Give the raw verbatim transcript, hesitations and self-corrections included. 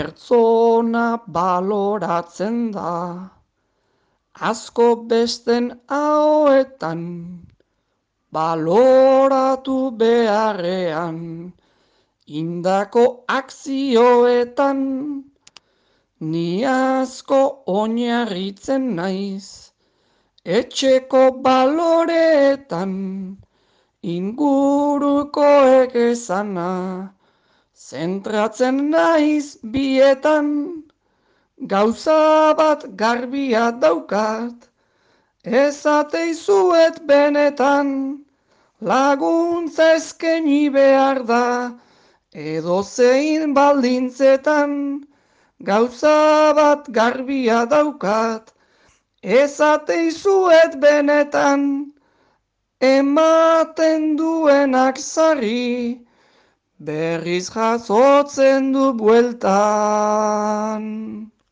pertsona baloratzen da, asko besten ahoetan, baloratu beharrean, indako akzioetan, ni asko oinarritzen naiz, etxeko baloreetan, ingurukoek esana, zentratzen naiz bietan, gauza bat garbia daukat, ezateizuet benetan, laguntza eskaini behar da, edozein baldintzetan, gauza bat garbia daukat, ezateizuet benetan, ematen duenak sarri, berriz jasotzen du buelta.